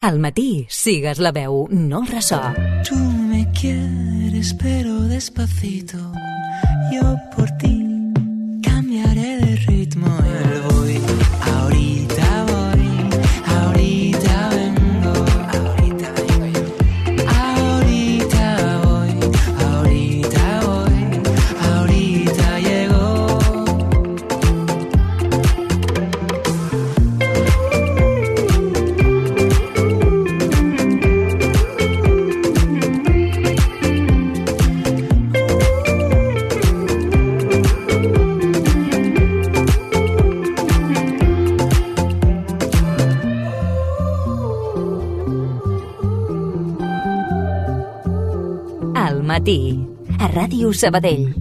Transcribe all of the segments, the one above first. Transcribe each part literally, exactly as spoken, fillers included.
Al matí, sigues la veu, no el ressò. Tú me quieres pero despacito. Yo por ti cambiaré de ritmo. Yo voy, ahorita voy, ahorita vengo, ahorita vengo yo. Ahorita voy, ahorita voy, ahorita llego. Al matí, a Ràdio Sabadell.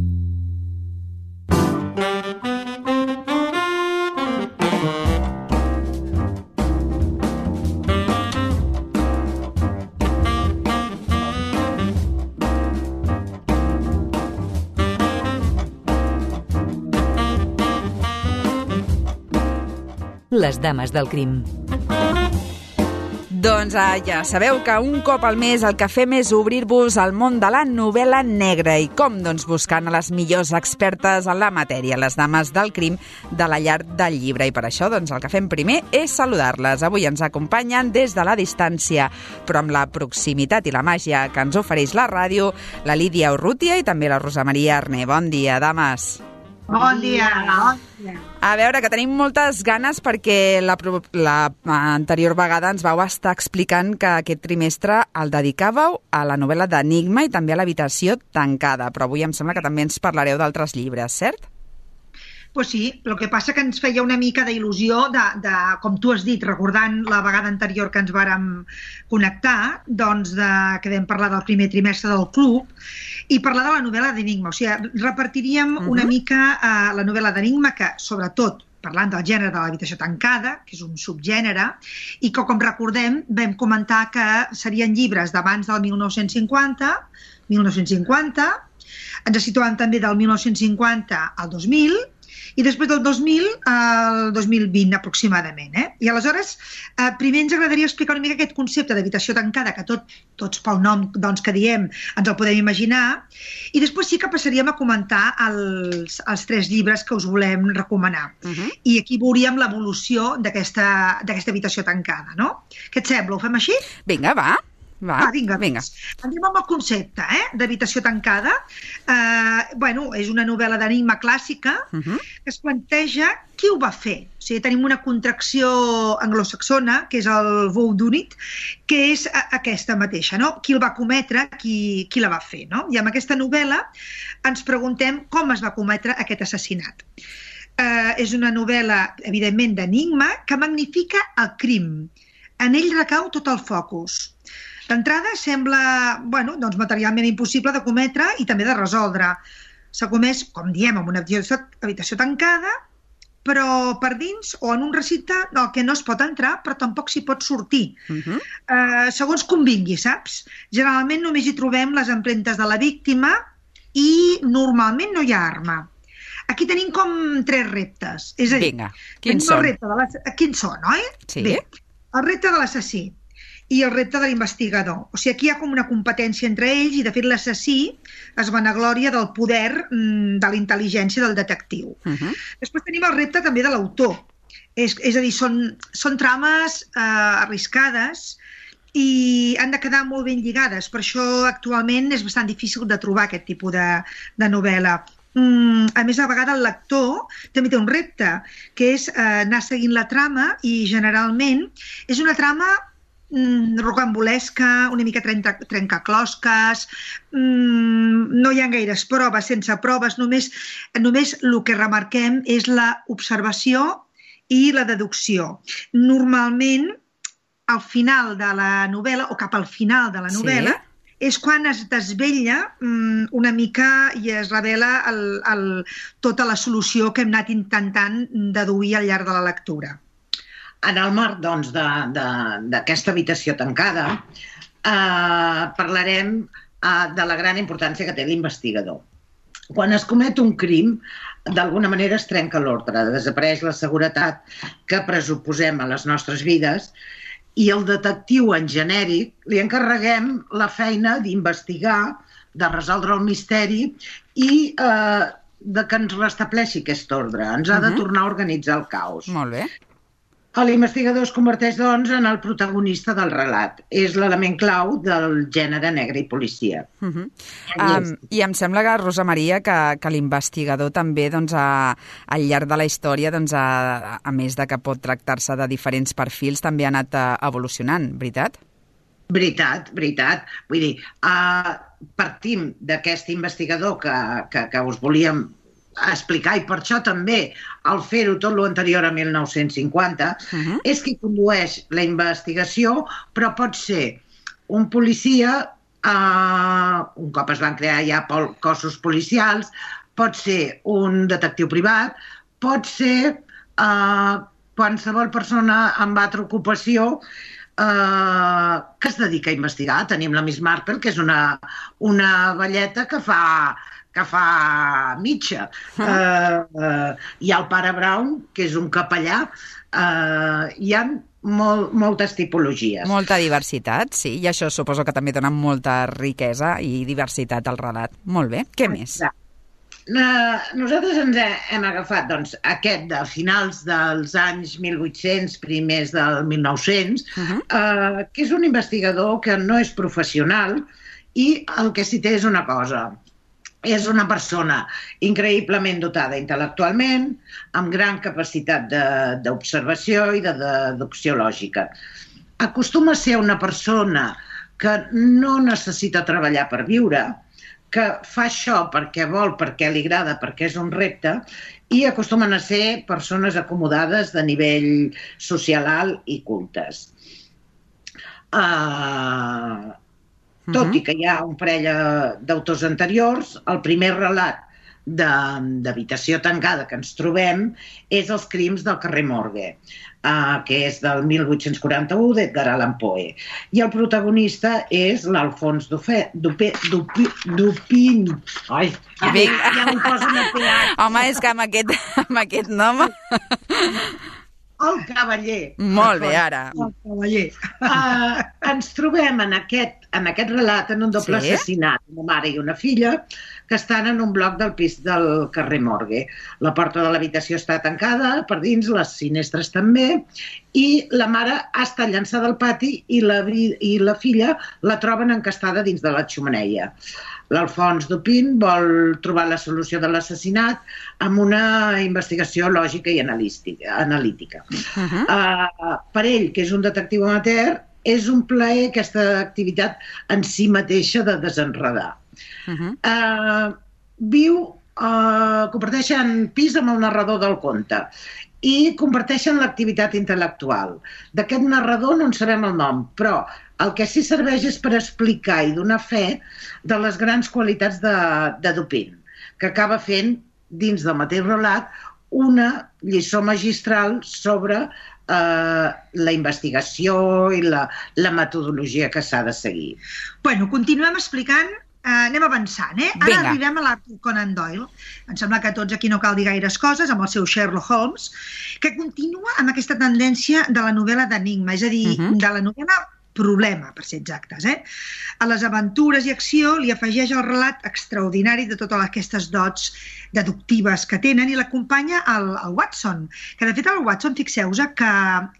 Les dames del crim. Doncs ah, ja sabeu que un cop al mes el que fem és obrir-vos al món de la novel·la negra. I com? Doncs buscant a les millors expertes en la matèria, les dames del crim de la llar del llibre. I per això doncs, el que fem primer és saludar-les. Avui ens acompanyen des de la distància, però amb la proximitat i la màgia que ens ofereix la ràdio, la Lídia Urrutia i també la Rosa Maria Arné. Bon dia, dames. Bon dia. Bon dia. A veure, que tenim moltes ganes perquè la, la anterior vegada ens vau estar explicant que aquest trimestre el dedicàveu a la novel·la d'Enigma i també a l'habitació tancada, però avui em sembla que també ens parlareu d'altres llibres, cert? Pues sí, el que passa que ens feia una mica d'il·lusió de, de, com tu has dit, recordant la vegada anterior que ens vàrem connectar, doncs de, que vam parlar del primer trimestre del club, i parlar de la novel·la d'Enigma. O sigui, repartiríem uh-huh. una mica uh, la novel·la d'Enigma, que sobretot parlant del gènere de l'habitació tancada, que és un subgènere, i que, com recordem, vam comentar que serien llibres d'abans del mil nou-cents cinquanta, mil nou-cents cinquanta, ens situem també del mil nou-cents cinquanta al dos mil, i després del dos mil al dos mil vint aproximadament. Eh? I aleshores, eh, primer ens agradaria explicar una mica aquest concepte d'habitació tancada, que tot, tots pel nom doncs, que diem ens el podem imaginar, i després sí que passaríem a comentar els, els tres llibres que us volem recomanar. Uh-huh. I aquí veuríem l'evolució d'aquesta d'aquesta habitació tancada. No? Què et sembla? Ho fem així? Vinga, va. Va, ah, vinga, vinga. Anem amb el concepte eh, d'habitació tancada. Eh, bueno, és una novel·la d'enigma clàssica uh-huh. que es planteja qui ho va fer. O sigui, tenim una contracció anglosaxona, que és el whodunit, que és aquesta mateixa, no? Qui el va cometre, qui, qui la va fer, no? I amb aquesta novel·la ens preguntem com es va cometre aquest assassinat. Eh, és una novel·la, evidentment, d'enigma, que magnifica el crim. En ell recau tot el focus. D'entrada sembla bueno, doncs materialment impossible de cometre i també de resoldre. S'ha comès, com diem, en una habitació tancada, però per dins o en un recinte no, que no es pot entrar, però tampoc s'hi pot sortir. Uh-huh. eh, segons convingui, saps? Generalment només hi trobem les empremtes de la víctima i normalment no hi ha arma. Aquí tenim com tres reptes. És a dir, Vinga, quins són? De quins són, oi? Sí. Bé, el repte de l'assassí i el repte de l'investigador. O sigui, aquí hi ha com una competència entre ells i, de fet, l'assassí es vanagloria del poder mm, de la intel·ligència del detectiu. Uh-huh. Després tenim el repte també de l'autor. És, és a dir, són, són trames eh, arriscades i han de quedar molt ben lligades. Per això, actualment, és bastant difícil de trobar aquest tipus de, de novel·la. Mm, a més, a vegades el lector també té un repte, que és eh, anar seguint la trama i, generalment, és una trama Mm, rocambolesca, una mica trenca, trencaclosques, mm, no hi ha gaires proves, sense proves, només, només el que remarquem és l'observació i la deducció. Normalment, al final de la novel·la, o cap al final de la novel·la, sí. és quan es desvetlla mm, una mica i es revela el, el, tota la solució que hem anat intentant deduir al llarg de la lectura. En el marc doncs, d'aquesta habitació tancada, eh, parlarem eh, de la gran importància que té l'investigador. Quan es comet un crim, d'alguna manera es trenca l'ordre, desapareix la seguretat que pressuposem a les nostres vides i el detectiu en genèric li encarreguem la feina d'investigar, de resoldre el misteri i eh, de que ens restableixi aquest ordre. Ens ha de tornar a organitzar el caos. Molt bé. L'investigador es converteix, doncs, en el protagonista del relat. És l'element clau del gènere negre i policia. Uh -huh. um, I em sembla, que, Rosa Maria, que, que l'investigador també, doncs, a, al llarg de la història, doncs, a, a més de que pot tractar-se de diferents perfils, també ha anat uh, evolucionant, veritat? Veritat, veritat. Vull dir, uh, partim d'aquest investigador que, que, que us volíem explicar, i per això també al fer-ho tot l'anterior a mil nou-cents cinquanta, uh-huh. és qui condueix la investigació, però pot ser un policia, uh, un cop es van crear ja cossos policials, pot ser un detectiu privat, pot ser uh, qualsevol persona amb altra ocupació uh, que es dedica a investigar. Tenim la Miss Marple, que és una, una velleta que fa... que fa mitja. Uh, uh, hi ha el pare Brown, que és un capellà. Uh, hi ha molt, moltes tipologies. Molta diversitat, sí, i això suposo que també dona molta riquesa i diversitat al relat. Molt bé, què més? Uh, nosaltres ens hem agafat, doncs, aquest de finals dels anys mil vuit-cents, primers del mil nou-cents, uh-huh. uh, que és un investigador que no és professional i el que sí té és una cosa. És una persona increïblement dotada intel·lectualment, amb gran capacitat d'observació i de deducció lògica. Acostuma a ser una persona que no necessita treballar per viure, que fa això perquè vol, perquè li agrada, perquè és un repte, i acostumen a ser persones acomodades de nivell social alt i cultes. Uh, tot i que hi ha un parell d'autors anteriors, el primer relat d'habitació tancada que ens trobem és Els crims del carrer Morgue, uh, que és del mil vuit-cents quaranta-u d'Edgar Allan Poe. I el protagonista és l'Alfons Dupin. Ai, ja, ja m'hi posen a peat. Home, és que amb aquest, amb aquest nom... El cavaller. Molt bé, ara. El cavaller. Uh, ens trobem en aquest, en aquest relat en un doble sí? assassinat, una mare i una filla, que estan en un bloc del pis del carrer Morgue. La porta de l'habitació està tancada per dins, les finestres també, i la mare ha estat llançada al pati i la, i la filla la troben encastada dins de la xemeneia. L'Alfons Dupin vol trobar la solució de l'assassinat amb una investigació lògica i analítica. Uh-huh. uh, per ell, que és un detectiu amateur, és un plaer aquesta activitat en si mateixa de desenredar. Uh-huh. uh, viu, uh, comparteixen pis amb el narrador del conte i comparteixen l'activitat intel·lectual. D'aquest narrador no en sabem el nom, però el que sí serveix és per explicar i donar fe de les grans qualitats de, de Dupin, que acaba fent, dins del mateix relat, una lliçó magistral sobre eh, la investigació i la, la metodologia que s'ha de seguir. Bueno, continuem explicant. Uh, anem avançant, eh? Ara Vinga. Arribem a l'Arthur Conan Doyle. Em sembla que tots aquí no cal dir gaires coses, amb el seu Sherlock Holmes, que continua amb aquesta tendència de la novel·la d'enigma, és a dir, uh-huh. de la novel·la problema, per ser exactes. Eh? A les aventures i acció li afegeix el relat extraordinari de totes aquestes dots deductives que tenen i l'acompanya el, el Watson, que de fet el Watson, fixeu-vos que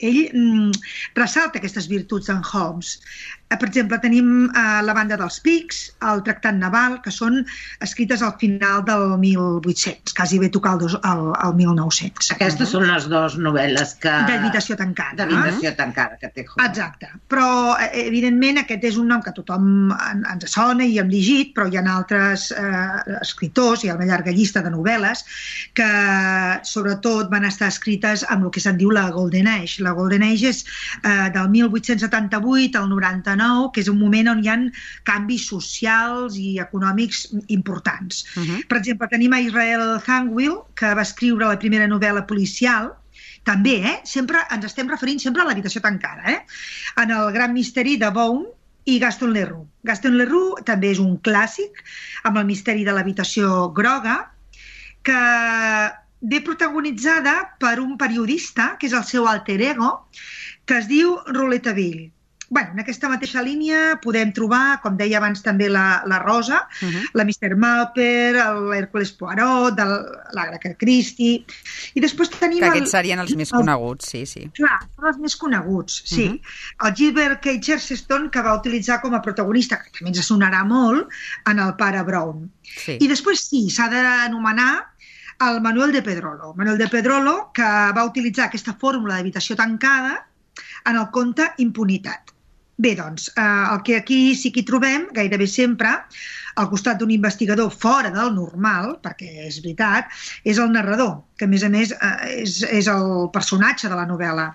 ell mm, ressalta aquestes virtuts d'en Holmes. Per exemple, tenim eh, la banda dels Pics, el Tractat Naval, que són escrites al final del mil vuit-cents, quasi bé tocar el, dos, el, el mil nou-cents. Aquestes uh-huh. són les dues novel·les que... D'habitació tancada. D'habitació uh-huh. tancada, que té Holmes. Exacte. Però, evidentment, aquest és un nom que tothom ens sona i hem llegit, però hi ha altres eh, escriptors, hi ha una llarga llista de novel·les que, sobretot, van estar escrites amb el que se'n diu la Golden Age. La Golden Age és eh, del mil vuit-cents setanta-vuit al noranta-nou, que és un moment on hi ha canvis socials i econòmics importants. Uh-huh. Per exemple, tenim a Israel Zangwill, que va escriure la primera novel·la policial, també, eh? Sempre ens estem referint sempre a l'habitació tancada, eh? En el gran misteri de Vaughn i Gaston Leroux. Gaston Leroux també és un clàssic, amb el misteri de l'habitació groga, que ve protagonitzada per un periodista, que és el seu alter ego, que es diu Rouletabille. Bueno, en aquesta mateixa línia podem trobar, com deia abans també la, la Rosa, uh-huh. la mister Marple, l'Hèrcules Poirot, de l'Agatha Christie, i després tenim... Que aquests el, serien els més el, coneguts, sí, sí. Clar, són els més coneguts, sí. Uh-huh. El Gilbert K. Chesterton, que va utilitzar com a protagonista, que també ens sonarà molt, en el pare Brown. Sí. I després sí, s'ha d'anomenar el Manuel de Pedrolo. Manuel de Pedrolo, que va utilitzar aquesta fórmula d'habitació tancada en el conte Impunitat. Bé, doncs, eh, el que aquí sí que hi trobem, gairebé sempre, al costat d'un investigador fora del normal, perquè és veritat, és el narrador, que a més a més eh, és, és el personatge de la novel·la.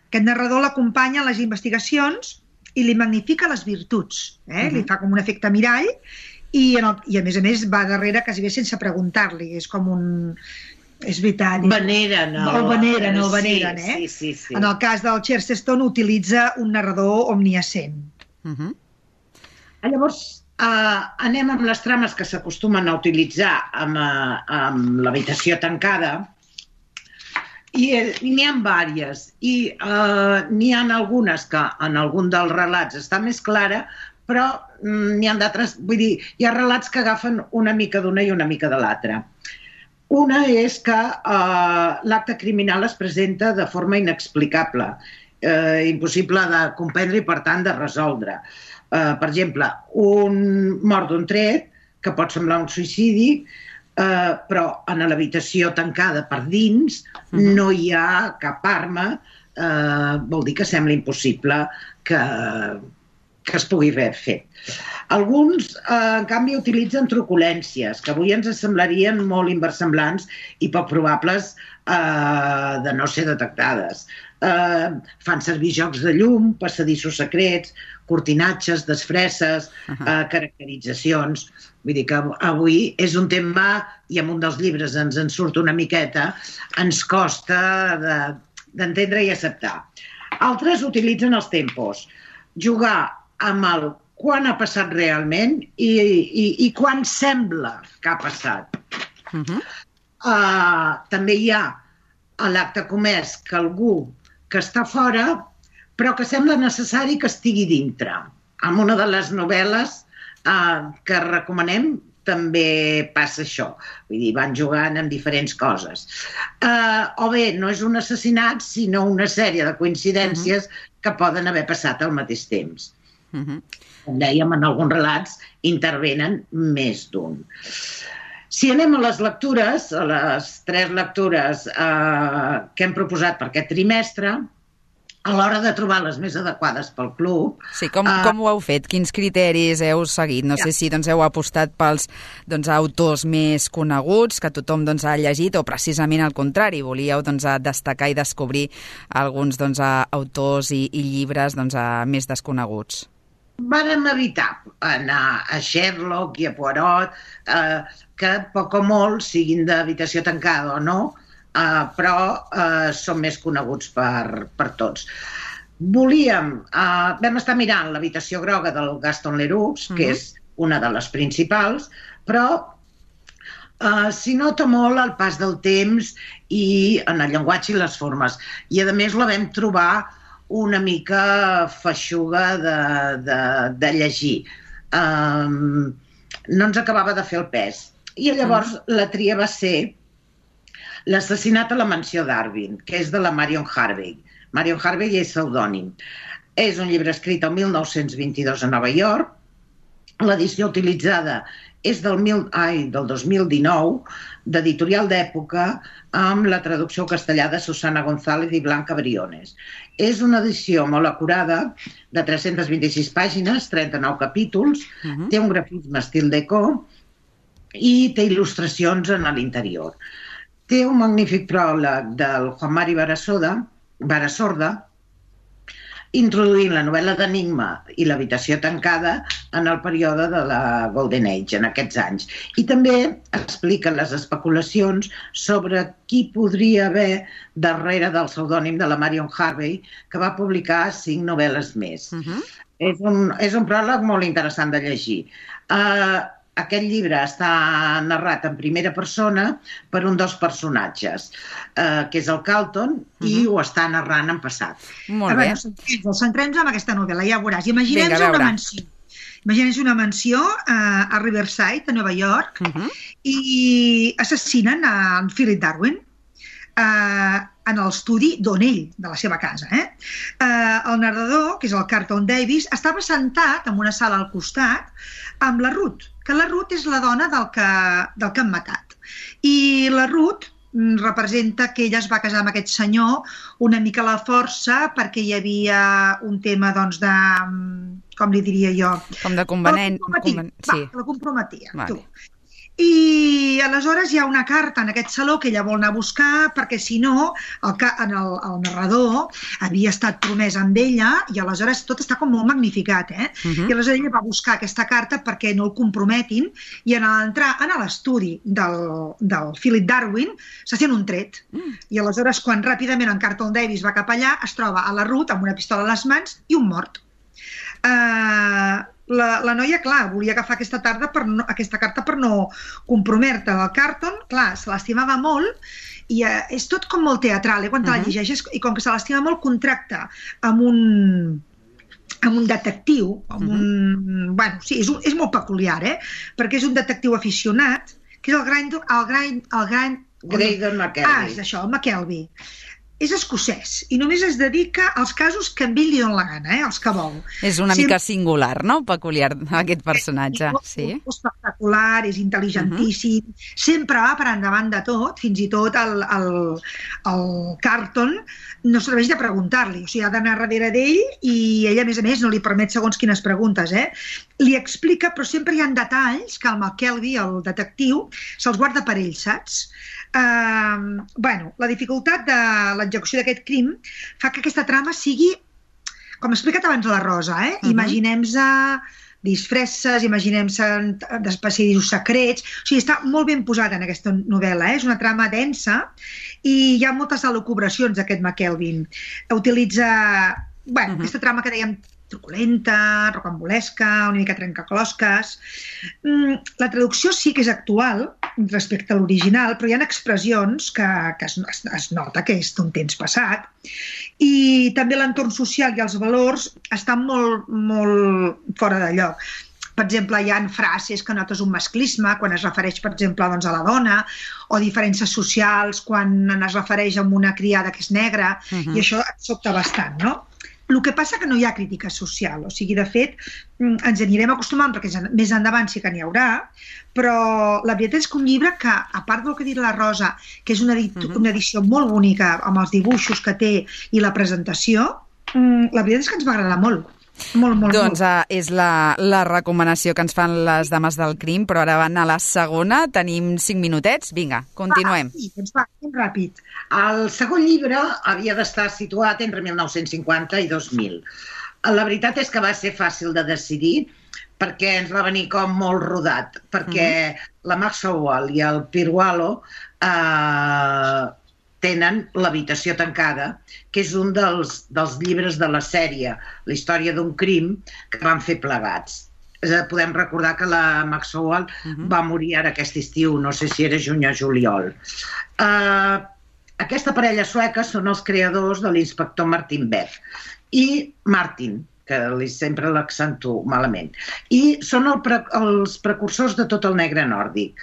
Aquest narrador l'acompanya a les investigacions i li magnifica les virtuts, eh? Uh-huh. Li fa com un efecte mirall i, en el, i a més a més va darrere quasi bé sense preguntar-li, és com un... És veritat. Veneren. El veneren, el veneren, eh? Sí, sí, sí. En el cas del Chesterton utilitza un narrador omniscient. Uh-huh. Llavors, uh, anem amb les trames que s'acostumen a utilitzar amb, uh, amb l'habitació tancada. I n'hi ha diverses. I uh, n'hi ha algunes que en algun dels relats està més clara, però mm, n'hi ha d'altres... Vull dir, hi ha relats que agafen una mica d'una i una mica de l'altra. Una és que eh, l'acte criminal es presenta de forma inexplicable, eh, impossible de comprendre i, per tant, de resoldre. Eh, per exemple, un mort d'un tret, que pot semblar un suïcidi, eh, però en l'habitació tancada per dins uh-huh. no hi ha cap arma, eh, vol dir que sembla impossible que... que es pugui haver fet. Alguns, eh, en canvi, utilitzen truculències, que avui ens semblarien molt inversemblants i poc probables eh, de no ser detectades. Eh, fan servir jocs de llum, passadissos secrets, cortinatges, desfresses, uh-huh. eh, caracteritzacions. Vull dir que avui és un tema, i en un dels llibres ens en surt una miqueta, ens costa de, d'entendre i acceptar. Altres utilitzen els tempos. Jugar amb el quan ha passat realment i, i, i quan sembla que ha passat. Uh-huh. Uh, també hi ha a l'acte comès que algú que està fora però que sembla necessari que estigui dintre. En una de les novel·les uh, que recomanem també passa això. Vull dir, van jugant amb diferents coses. Uh, o bé, no és un assassinat, sinó una sèrie de coincidències uh-huh. que poden haver passat al mateix temps. Uh-huh. Com dèiem, en alguns relats intervenen més d'un. Si anem a les lectures, a les tres lectures eh, que hem proposat per aquest trimestre, a l'hora de trobar les més adequades pel club... Sí, com, uh, com ho heu fet? Quins criteris heu seguit? No ja. sé si doncs, heu apostat pels doncs, autors més coneguts, que tothom doncs, ha llegit, o precisament al contrari, volíeu doncs, destacar i descobrir alguns doncs, autors i, i llibres doncs, més desconeguts. Vàrem evitar anar a Sherlock i a Poirot, eh, que poc o molt siguin d'habitació tancada o no, eh, però eh, són més coneguts per, per tots. Volíem, eh, vam estar mirant l'habitació groga del Gaston Leroux, uh-huh. que és una de les principals, però eh, s'hi nota molt el pas del temps i en el llenguatge i les formes. I a més la vam trobar una mica feixuga de, de, de llegir. Um, no ens acabava de fer el pes. I llavors mm. la tria va ser L'assassinat a la mansió Darwin, que és de la Marion Harvey. Marion Harvey és pseudònim. És un llibre escrit el mil nou-cents vint-i-dos a Nova York. L'edició utilitzada és del, mil, ai, del dos mil dinou, d'editorial d'època, amb la traducció castellà de Susana González i Blanca Briones. És una edició molt acurada, de tres-centes vint-i-sis pàgines, trenta-nou capítols, uh-huh. té un grafisme estil Déco i té il·lustracions en l'interior. Té un magnífic pròleg del Juan Mari Barasoda, Barasorda, introduint la novel·la d'Enigma i l'habitació tancada en el període de la Golden Age, en aquests anys. I també expliquen les especulacions sobre qui podria haver darrere del pseudònim de la Marion Harvey, que va publicar cinc novel·les més. Uh-huh. És un, és un pròleg molt interessant de llegir. Uh, aquest llibre està narrat en primera persona per un dels personatges, eh, que és el Carlton, uh-huh. i ho està narrant en passat. Molt bé. Bueno, centrem-nos en aquesta novel·la, ja veuràs. Imaginem-nos una mansió. Imaginem-nos una mansió uh, a Riverside, a Nova York, uh-huh. i assassinen a en Philip Darwin uh, en l'estudi d'on ell, de la seva casa. Eh? Uh, el narrador, que és el Carlton Davis, estava sentat en una sala al costat amb la Ruth, que la Ruth és la dona del que, del que han matat. I la Ruth representa que ella es va casar amb aquest senyor una mica a la força perquè hi havia un tema, doncs, de... com li diria jo? Com de convenent... La comprometia, conven... sí. Va, la comprometia, vale. Tu. I aleshores hi ha una carta en aquest saló que ella vol anar a buscar perquè si no, el, el, el narrador havia estat promès amb ella i aleshores tot està com molt magnificat, eh? Uh-huh. I aleshores ella va buscar aquesta carta perquè no el comprometin i en entrar en l'estudi del, del Philip Darwin se sent un tret. Uh-huh. I aleshores quan ràpidament en Carlton Davis va cap allà es troba a la Ruth amb una pistola a les mans i un mort. Uh, la, la noia, clar, volia agafar aquesta, tarda per no, aquesta carta per no comprometre. El Carlton, clar, se l'estimava molt i uh, és tot com molt teatral, eh, quan te uh-huh. la llegeixes, i com que se l'estima molt contracta amb un, amb un detectiu, amb uh-huh. un... Bueno, sí, és, un, és molt peculiar, eh? Perquè és un detectiu aficionat, que és el gran... El gran, el gran Graydon McKelvey. Ah, és això, el McKelvey. És escocès i només es dedica als casos que a ell li dona la gana, eh? Els que vol. És una Sempre... mica singular, no? Peculiar, aquest personatge. És sí. espectacular, és intel·ligentíssim, uh-huh. sempre va per endavant de tot, fins i tot el, el, el Carlton no serveix de preguntar-li, o sigui, ha d'anar darrere d'ell i ell, a més a més, no li permet segons quines preguntes, eh? Li explica, però sempre hi ha detalls que el McKelvey, el detectiu, se'ls guarda per ell, saps? Uh, bueno, la dificultat de l'execució d'aquest crim fa que aquesta trama sigui, com he explicat abans a la Rosa, eh? Uh-huh. Imaginem-se disfresses, imaginem-se d'especialisos secrets, o sigui, està molt ben posada en aquesta novel·la, eh? És una trama densa i hi ha moltes elucubracions d'aquest McKelvey. Utilitza, bueno, uh-huh. aquesta trama que dèiem truculenta, rocambolesca, una mica trencaclosques. La traducció sí que és actual respecte a l'original, però hi ha expressions que, que es, es, es nota que és d'un temps passat i també l'entorn social i els valors estan molt, molt fora de lloc. Per exemple, hi ha frases que notes un masclisme quan es refereix, per exemple, doncs, a la dona, o diferències socials quan es refereix a una criada que és negra, uh-huh. i això et sobta bastant, no? El que passa que no hi ha crítica social, o sigui, de fet, ens anirem acostumant, perquè més endavant sí que n'hi haurà, però la veritat és que un llibre que, a part del que ha dit la Rosa, que és una, edit- uh-huh. una edició molt bonica, amb els dibuixos que té i la presentació, la veritat és que ens va agradar molt. Molt, molt, doncs molt. Uh, és la, la recomanació que ens fan les dames del crim, però ara van a la segona, tenim cinc minutets, vinga, continuem. Va, sí, doncs va, ben ràpid. El segon llibre havia d'estar situat entre mil nou-cents cinquanta i dos mil. La veritat és que va ser fàcil de decidir perquè ens va venir com molt rodat, perquè mm-hmm. la Maxwell i el Pirwalo eh, tenen l'habitació tancada, que és un dels, dels llibres de la sèrie, la història d'un crim, que van fer plegats. Podem recordar que la Maxwell uh-huh. va morir ara aquest estiu, no sé si era juny o juliol. Uh, aquesta parella sueca són els creadors de l'inspector Martin Beck i Martin, que sempre l'accentuo malament, i són el pre, els precursors de tot el negre nòrdic.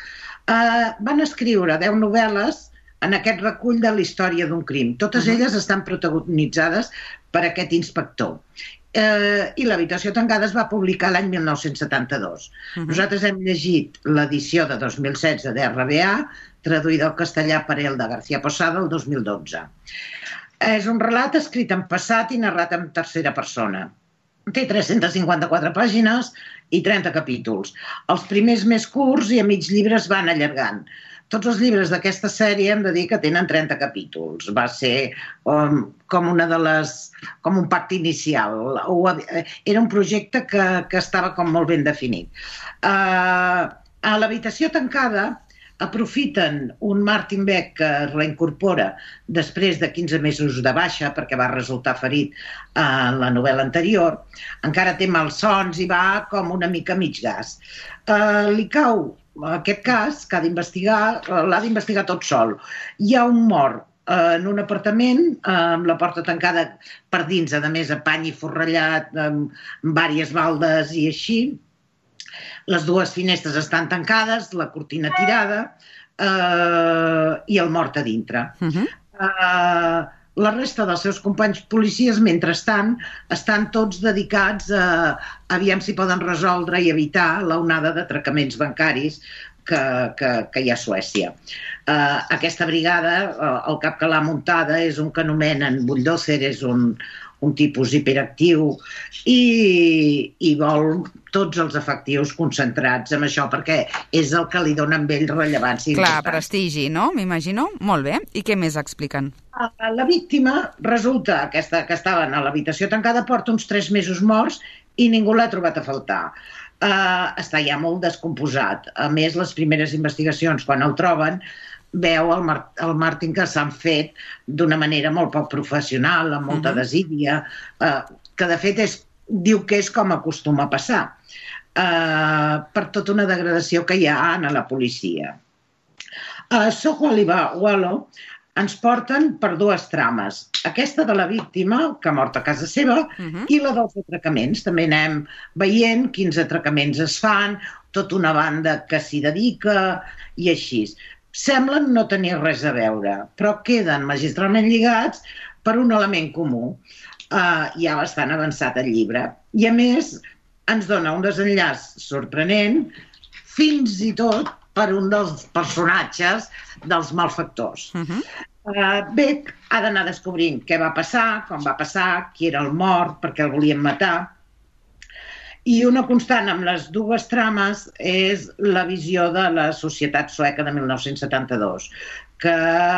Uh, van escriure deu novel·les en aquest recull de la història d'un crim. Totes uh-huh. elles estan protagonitzades per aquest inspector. Eh, I l'habitació tancada es va publicar l'any mil nou-cents setanta-dos. Uh-huh. Nosaltres hem llegit l'edició de dos mil setze d'R B A, traduïda al castellà per Elda García Posada el dos mil dotze. És un relat escrit en passat i narrat en tercera persona. Té tres-centes cinquanta-quatre pàgines i trenta capítols. Els primers més curts i a mig llibre es van allargant. Tots els llibres d'aquesta sèrie hem de dir que tenen trenta capítols. Va ser um, com una de les... com un pacte inicial. O, era un projecte que, que estava com molt ben definit. Uh, a l'habitació tancada aprofiten un Martin Beck que es reincorpora després de quinze mesos de baixa perquè va resultar ferit en la novel·la anterior, encara té malsons i va com una mica mig gas. Uh, li cau aquest cas que ha d'investigar, l'ha d'investigar tot sol. Hi ha un mort en un apartament amb la porta tancada per dins, a més a pany i forrellat amb diverses baldes i així. Les dues finestres estan tancades, la cortina tirada eh, i el mort a dintre. Uh-huh. eh, la resta dels seus companys policies, mentrestant, estan tots dedicats a aviam si poden resoldre i evitar l'onada d'atracaments bancaris que, que, que hi ha a Suècia. Uh, aquesta brigada, uh, el cap que l'ha muntada és un que anomenen Bulldozer, és un, un tipus hiperactiu i, i vol tots els efectius concentrats en això perquè és el que li dona amb ell rellevància. Clar, prestigi, no? M'imagino. Molt bé. I què més expliquen? La víctima resulta aquesta, que estaven a l'habitació tancada, porta uns tres mesos morts i ningú l'ha trobat a faltar. Uh, està ja molt descomposat. A més, les primeres investigacions, quan el troben, veu el, Mar el Martin que s'han fet d'una manera molt poc professional, amb molta uh-huh. desídia, uh, que de fet és, diu que és com acostuma a passar, uh, per tota una degradació que hi ha en la policia. A Soho Aliva Wallo ens porten per dues trames. Aquesta de la víctima, que ha mort a casa seva, uh-huh. i la dels atracaments. També anem veient quins atracaments es fan, tota una banda que s'hi dedica i així. Semblen no tenir res a veure, però queden magistralment lligats per un element comú. Uh, ja bastant avançat el llibre. I a més, ens dona un desenllaç sorprenent, fins i tot per un dels personatges dels malfactors. Uh-huh. uh, Beck ha d'anar descobrint què va passar, com va passar, qui era el mort, per què el volien matar. I una constant amb les dues trames és la visió de la societat sueca de mil nou-cents setanta-dos, que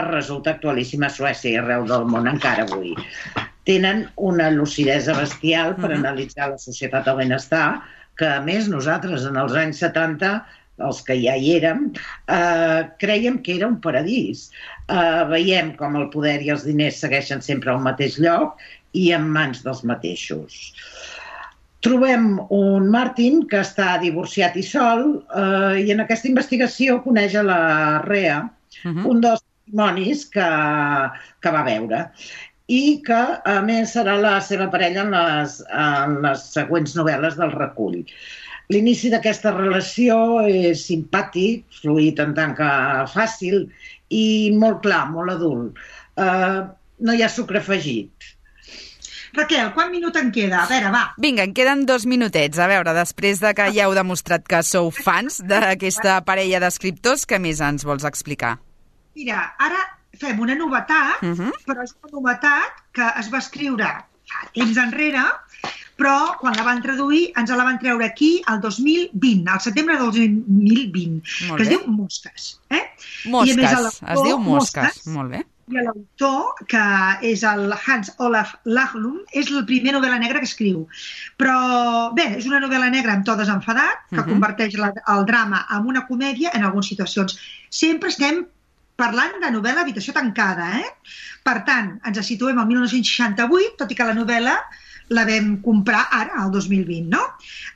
resulta actualíssima a Suècia i arreu del món encara avui. Tenen una lucidesa bestial per analitzar la societat del benestar, que a més nosaltres en els anys setanta, els que ja hi érem, eh, creiem que era un paradís. Eh, veiem com el poder i els diners segueixen sempre al mateix lloc i en mans dels mateixos. Trobem un Martin que està divorciat i sol eh, i en aquesta investigació coneix a la Rea, uh-huh. un dels testimonis que, que va veure i que, a més, serà la seva parella en les, en les següents novel·les del recull. L'inici d'aquesta relació és simpàtic, fluid en tant que fàcil i molt clar, molt adult. Eh, no hi ha sucre afegit. Raquel, quant minut en queda? A veure, va. Vinga, en queden dos minutets. A veure, després de que ja heu demostrat que sou fans d'aquesta parella d'escriptors, què més ens vols explicar? Mira, ara fem una novetat, uh-huh. però és una novetat que es va escriure fa temps enrere, però quan la van traduir ens la van treure aquí el dos mil vint, al setembre del dos mil vint, que es diu Mosques. Eh? Mosques, I a més, es diu Mosques. Mosques. Molt bé. I l'autor, que és el Hans Olaf Lahlum, és la primera novel·la negra que escriu. Però, bé, és una novel·la negra amb to desenfadat, que uh-huh. converteix la, el drama en una comèdia en algunes situacions. Sempre estem parlant de novel·la Habitació tancada, eh? Per tant, ens situem al mil nou-cents seixanta-vuit, tot i que la novel·la la vam comprar ara, al dos mil vint, no?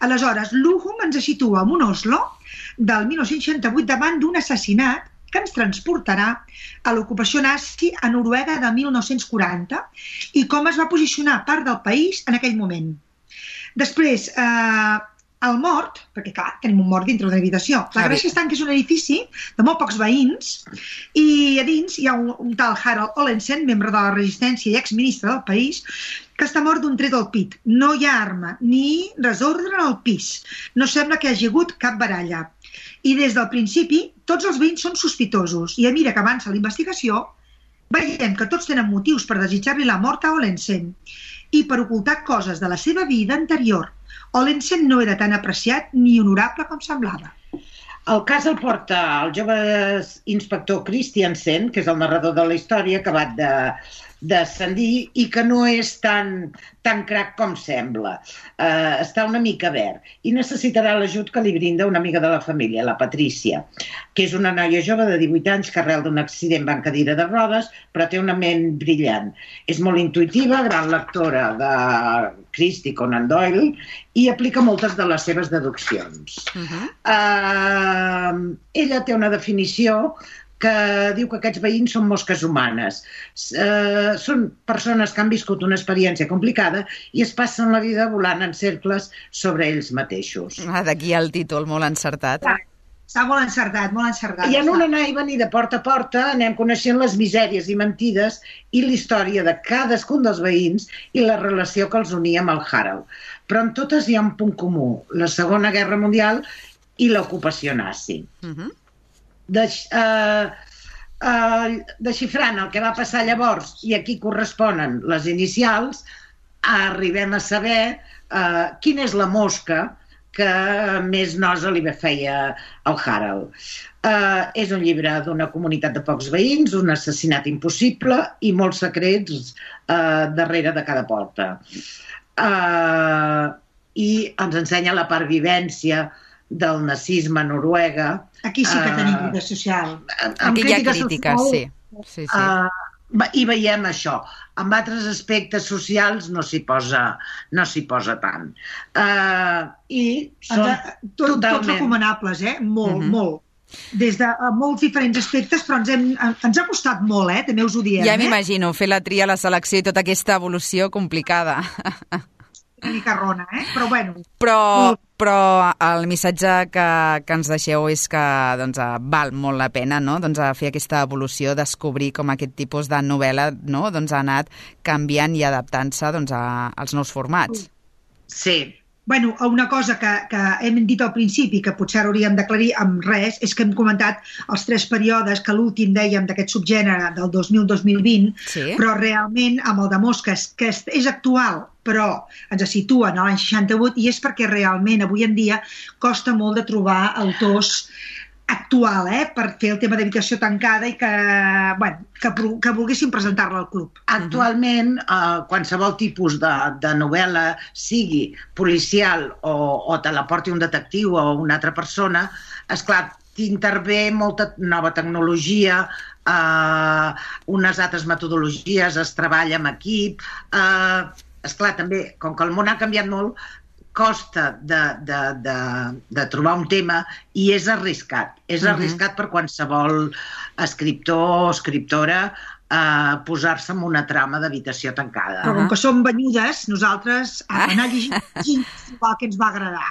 Aleshores, Luhum ens situa en un Oslo del mil nou-cents seixanta-vuit davant d'un assassinat que ens transportarà a l'ocupació nazi a Noruega de mil nou-cents quaranta i com es va posicionar part del país en aquell moment. Després, eh, el mort, perquè clar, tenim un mort dintre d'una habitació. La gràcia està que és un edifici de molt pocs veïns i a dins hi ha un, un tal Harald Olesen, membre de la resistència i exministre del país, que està mort d'un tret al pit. No hi ha arma ni desordre al pis. No sembla que hi hagi hagut cap baralla. I des del principi tots els veïns són sospitosos i a mesura que avança la investigació veiem que tots tenen motius per desitjar-li la mort a Olesen i per ocultar coses de la seva vida anterior. Olesen no era tan apreciat ni honorable com semblava. El cas el porta el jove inspector Christiansen, que és el narrador de la història, acabat de, d'ascendir i que no és tan, tan crac com sembla. Uh, està una mica verd i necessitarà l'ajut que li brinda una amiga de la família, la Patrícia, que és una noia jove de divuit anys que arrel d'un accident va en cadira de rodes, però té una ment brillant. És molt intuïtiva, gran lectora de Christie Conan Doyle i aplica moltes de les seves deduccions. Uh-huh. uh, ella té una definició que diu que aquests veïns són mosques humanes. Uh, són persones que han viscut una experiència complicada i es passen la vida volant en cercles sobre ells mateixos. Ah, d'aquí el títol, molt encertat. Ah, està molt encertat, molt encertat. I en un anar i venir de porta a porta anem coneixent les misèries i mentides i la història de cadascun dels veïns i la relació que els unia amb el Harold. Però en totes hi ha un punt comú, la Segona Guerra Mundial i l'ocupació nazi. Uh-huh. De, uh, uh, desxifrant el que va passar llavors i aquí corresponen les inicials, arribem a saber uh, quina és la mosca que més nosa li feia al Harold. Uh, és un llibre d'una comunitat de pocs veïns, un assassinat impossible i molts secrets uh, darrere de cada porta. Uh, I ens ensenya la pervivència del nazisme a Noruega. Aquí sí que tenim crítica social. Aquí hi ha crítica, sí. sí, sí. Uh, I veiem això. En altres aspectes socials no s'hi posa, no s'hi posa tant. Uh, I són Tot, totalment... Tots recomanables, eh? Molt, uh-huh. molt. Des de molts diferents aspectes, però ens, hem, ens ha costat molt, eh? També us ho diem. Ja eh? m'imagino, fer la tria, la selecció i tota aquesta evolució complicada. Una mica rona, eh? Però bueno... Però, però el missatge que, que ens deixeu és que doncs, val molt la pena, no? Doncs, fer aquesta evolució, descobrir com aquest tipus de novel·la, no? doncs, ha anat canviant i adaptant-se doncs, a, als nous formats. Sí. Bueno, una cosa que, que hem dit al principi, que potser hauríem d'aclarir amb res, és que hem comentat els tres períodes, que l'últim dèiem d'aquest subgènere del dos mil a dos mil vint, sí. Però realment amb el de Mosques, que és actual, però ens situa en l'any seixanta-vuit, i és perquè realment avui en dia costa molt de trobar autors actual, eh, per fer el tema d'habitació tancada i que, bueno, que, que volguessin presentar-la al club. Actualment, eh, qualsevol tipus de, de novel·la, sigui policial o, o te la porti un detectiu o una altra persona, esclar, t'intervé molta nova tecnologia, eh, unes altres metodologies, es treballa amb equip, eh, esclar, també, com que el món ha canviat molt, costa de, de, de, de trobar un tema i és arriscat. És arriscat uh-huh. per qualsevol escriptor o escriptora eh, posar-se en una trama d'habitació tancada. Però com que som banyudes, nosaltres a anar llegint el que ens va agradar.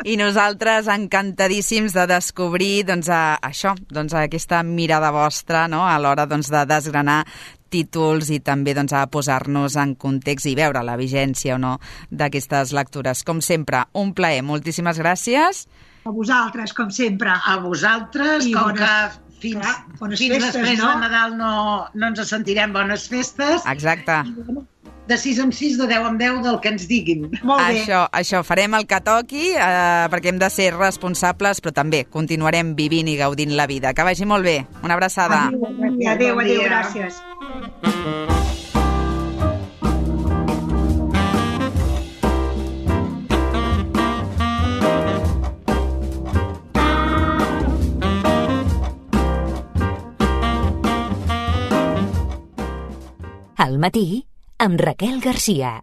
I nosaltres encantadíssims de descobrir doncs, a, això, doncs, a aquesta mirada vostra, no? A l'hora doncs, de desgranar títols i també doncs, a posar-nos en context i veure la vigència o no d'aquestes lectures. Com sempre, un plaer. Moltíssimes gràcies. A vosaltres, com sempre. A vosaltres, I com bones, que fins, clar, fins festes, després no? de Nadal no, no ens sentirem. Bones festes. Exacte. I, de sis en sis, de deu en deu, del que ens diguin. Molt bé. Això, això, farem el que toqui, eh, perquè hem de ser responsables, però també continuarem vivint i gaudint la vida. Que vagi molt bé. Una abraçada. Adéu, adéu, bon adéu gràcies. Al matí, amb Raquel Garcia.